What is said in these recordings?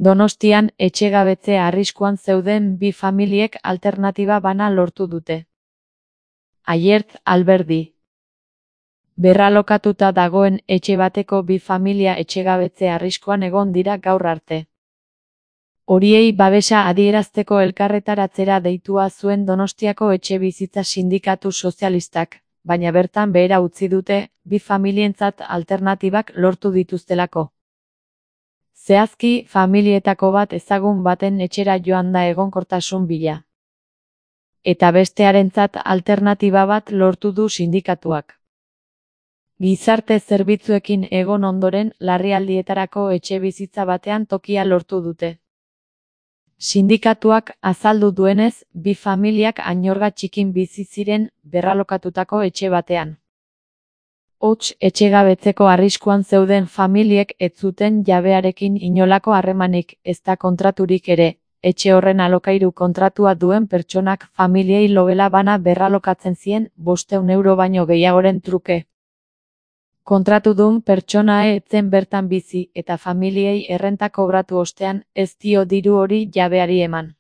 Donostian etxegabetze arriskuan zeuden bi familiek alternatiba bana lortu dute. Aiert Alberdi. Berralokatuta dagoen etxe bateko bi familia etxegabetze arriskuan egon dira gaur arte. Horiei babesa adierazteko elkarretaratzera deitua zuen Donostiako Etxebizitza Sindikatu Sozialistak, baina bertan behera utzi dute, bi familientzat alternatibak lortu dituztelako. Zehazki, familietako bat ezagun baten etxera joan da egonkortasun bila. Eta bestearentzat alternatiba bat lortu du sindikatuak. Gizarte zerbitzuekin egon ondoren larrialdietarako etxebizitza batean tokia lortu dute. Sindikatuak azaldu duenez, bi familiak Añorga Txikin bizi ziren berralokatutako etxe batean. Hots etxegabetzeko arriskuan zeuden familiek ez zuten jabearekin inolako harremanik, ezta kontraturik ere, etxe horren alokairu kontratua duen pertsonak familiei logela bana berralokatzen zien 500 euro baino gehiagoren truke. Kontratudun pertsona ez zen bertan bizi eta familiei errenta kobratu ostean ez dio diru hori jabeari eman.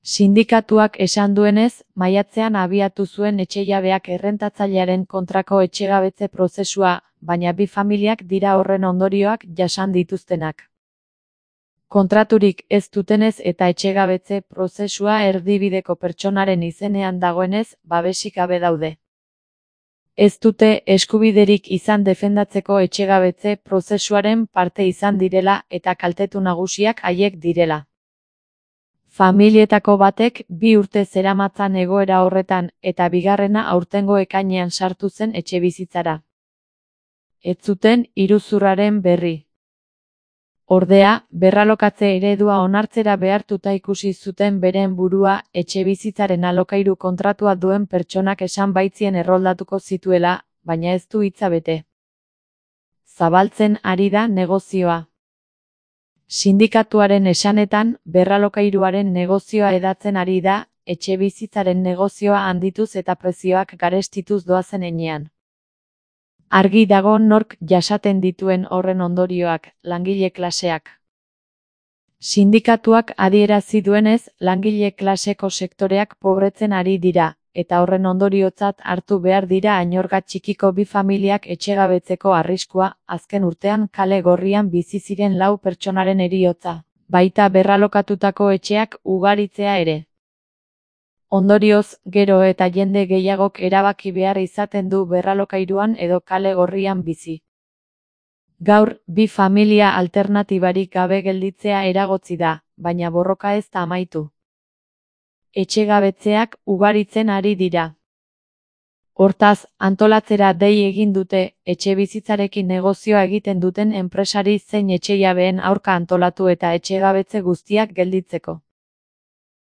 Sindikatuak esan duenez, maiatzean abiatu zuen etxejabeak errentatzailearen kontrako etxegabetze prozesua, baina bi familiak dira horren ondorioak jasan dituztenak. Kontraturik ez dutenez eta etxegabetze prozesua erdibideko pertsonaren izenean dagoenez, babesik gabe daude. Ez dute eskubiderik izan defendatzeko etxegabetze prozesuaren parte izan direla eta kaltetu nagusiak haiek direla. Familietako batek 2 urte zeramatzan egoera horretan eta bigarrena aurtengo ekainean sartu zen etxebizitzara. Ez zuten iruzurraren berri. Ordea, berralokatze eredua onartzera behartuta ikusi zuten beren burua etxebizitzaren alokairu kontratua duen pertsonak esan baitzien erroldatuko zituela, baina ez du hitza bete. Zabaltzen ari da negozioa. Sindikatuaren esanetan, berralokairuaren negozioa hedatzen ari da, etxebizitzaren negozioa handituz eta prezioak garestituz doazen heinean. Argi dago nork jasaten dituen horren ondorioak, langile klaseak. Sindikatuak adierazi duenez, langile klaseko sektoreak pobretzen ari dira, eta horren ondoriotzat hartu behar dira Añorga Txikiko bi familiak etxegabetzeko arriskua, azken urtean kale gorrian bizi ziren 4 pertsonaren heriotza, baita berralokatutako etxeak ugaritzea ere. Ondorioz, gero eta jende gehiagok erabaki behar izaten du berralokairuan edo kale gorrian bizi. Gaur, bi familia alternatibarik gabe gelditzea eragotzi da, baina borroka ez da amaitu. Etxegabetzeak ugaritzen ari dira. Hortaz, antolatzera dei egin dute, etxebizitzarekin negozioa egiten duten enpresari zein etxejabeen aurka antolatu eta etxegabetze guztiak gelditzeko.